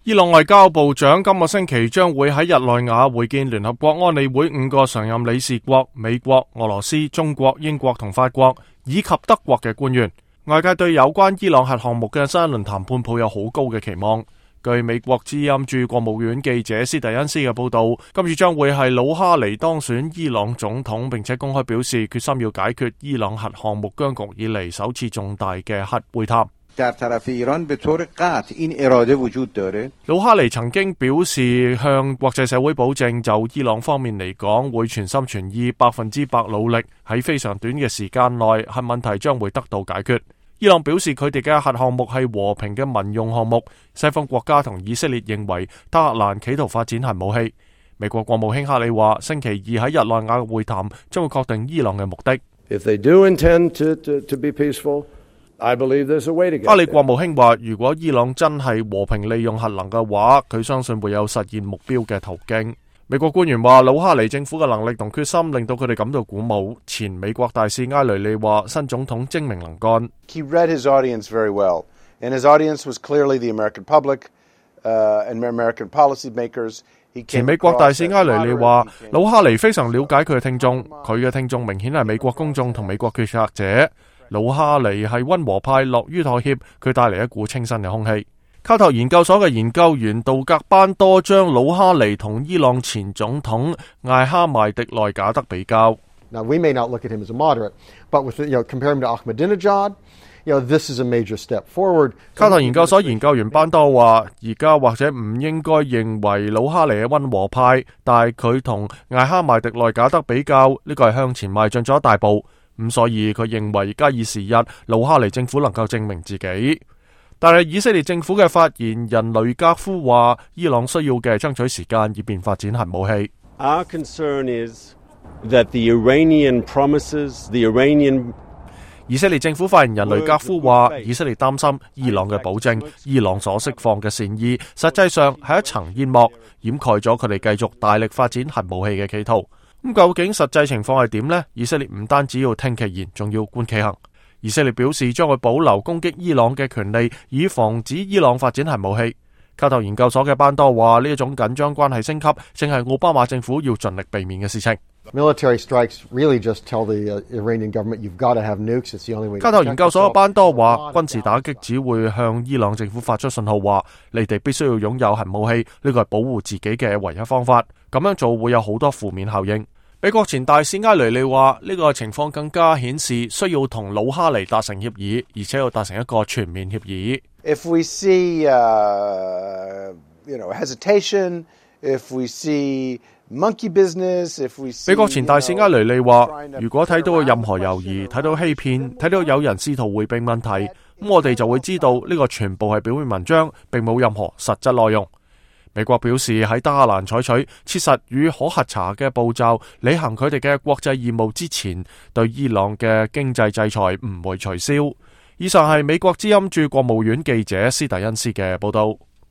伊朗外交部長今個星期將會喺日內瓦會見聯合國安理會5個常任理事國美國、俄羅斯、中國、英國同法國以及德國嘅官員。外界對有關伊朗核項目嘅新一輪談判抱有好高嘅期望。據美國之音駐國務院記者斯蒂恩斯嘅報道，今次將會係魯哈尼當選伊朗總統，並且公開表示決心要解決伊朗核項目僵局以嚟首次重大嘅核會談。魯哈尼曾經表示向國際社會保證，就伊朗方面嚟講，會全心全意100%努力喺非常短嘅時間內核問題將會得到解決。伊朗表示佢哋嘅核項目係和平嘅民用項目，西方國家同以色列認為德黑蘭企圖發展核武器。美國國務卿克里話，星期二喺日內瓦嘅會談將會確定伊朗嘅目的。克里國務卿話，如果伊朗真係和平利用核能嘅話，佢相信會有實現目標嘅途徑。美國官員話，魯哈尼政府嘅能力同決心令到佢哋感到鼓舞。前美國大使埃雷利話，新總統精明能幹。He read his audience very well, and his audience was clearly the American public and American policymakers. 前美國大使埃雷利話，魯哈尼非常了解佢嘅聽眾，佢嘅聽眾明顯係美國公眾同美國決策者。魯哈尼係溫和派，樂於妥協，佢帶嚟一股清新嘅空氣。卡特研究所嘅研究員杜格班多將魯哈尼同伊朗前總統艾哈邁迪內賈德比較。Now we may not look at him as a moderate, but with compare him to Ahmadinejad, this is a major step forward. 卡特研究所研究員班多話，而家或者唔應該認為魯哈尼係溫和派，但係佢同艾哈邁迪內賈德比較，呢個係向前邁進咗一大步。咁所以佢認為加以時日，魯哈尼政府能夠證明自己。但係以色列政府嘅發言人雷格夫話，伊朗需要嘅爭取時間以便發展核武器。Our concern is that the Iranian promises, the Iranian 以色列政府發言人雷格夫話，以色列擔心伊朗嘅保證，伊朗所釋放嘅善意，實際上係一層煙幕，掩蓋咗佢哋繼續大力發展核武器嘅企圖。咁究竟實際情況係點呢？以色列唔單止要聽其言，仲要觀其行。以色列表示將會保留攻擊伊朗嘅權利，以防止伊朗發展核武器。卡特研究所嘅班多話，呢一種緊張關係升級，正係奧巴馬政府要盡力避免嘅事情。Military strikes really just tell the Iranian government you've got to have nukes. It's the only way. 卡特研究所嘅班多話，軍事打擊只會向伊朗政府發出信號，話你哋必須要擁有核武器，呢個係保護自己嘅唯一方法。咁樣做會有好多負面效應。美國前大使埃雷利話，呢個情況更加顯示需要同魯哈尼達成協議，而且要達成一個全面協議。If we see, hesitation, if we see monkey business, if we see 美國前大使埃雷利話，如果睇到任何猶豫，睇到欺騙，睇到有人試圖迴避問題，咁我哋就會知道呢個全部係表面文章，並冇任何實質內容。美國表示喺德黑蘭採取切實與可核查嘅步驟，履行佢哋嘅國際義務之前，對伊朗嘅經濟制裁唔會取消。以上係美國之音駐國務院記者斯蒂恩斯嘅報道。